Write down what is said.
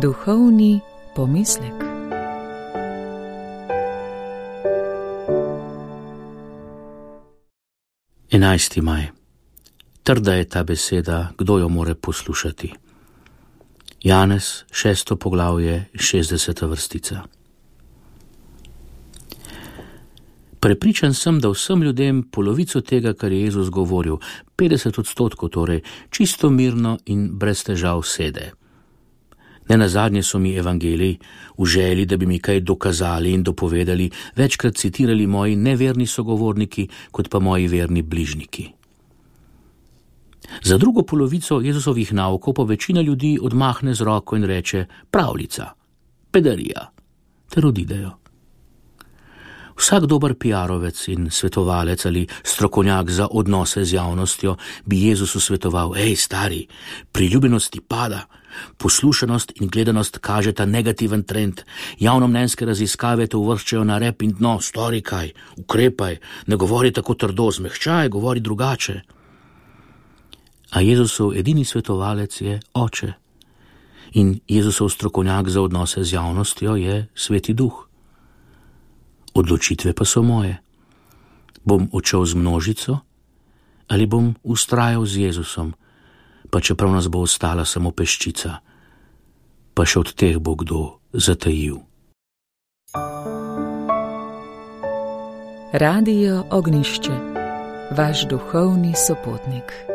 Duhovni pomislek. Enajsti maj. Trda je ta beseda, kdo jo more poslušati. Janez, 6. poglavje, 60. vrstica. Prepričan sem, da vsem ljudem polovico tega, kar je Jezus govoril, 50% torej, čisto mirno in brez težav sede. Nenazadnje so mi evangeliji, v želji, da bi mi kaj dokazali in dopovedali, večkrat citirali moji neverni sogovorniki, kot pa moji verni bližniki. Za drugo polovico Jezusovih naukov pa večina ljudi odmahne z roko in reče pravljica, pedarija, ter odidejo. Vsak dober PR-ovec in svetovalec ali strokovnjak za odnose z javnostjo bi Jezusu svetoval: Ej, stari, priljubljenost ti pada, poslušanost in gledanost kažeta negativen trend, javnomnenjske raziskave te uvrščajo na rep in dno, stori kaj, ukrepaj, ne govori tako trdo, zmehčaj, govori drugače. A Jezusov edini svetovalec je Oče in Jezusov strokovnjak za odnose z javnostjo je Sveti Duh. Odločitve pa so moje. Bom odšel z množico ali bom vztrajal z Jezusom, pa čeprav nas bo ostala samo peščica, pa še od teh bo kdo zatajil. Radio Ognjišče, vaš duhovni sopotnik.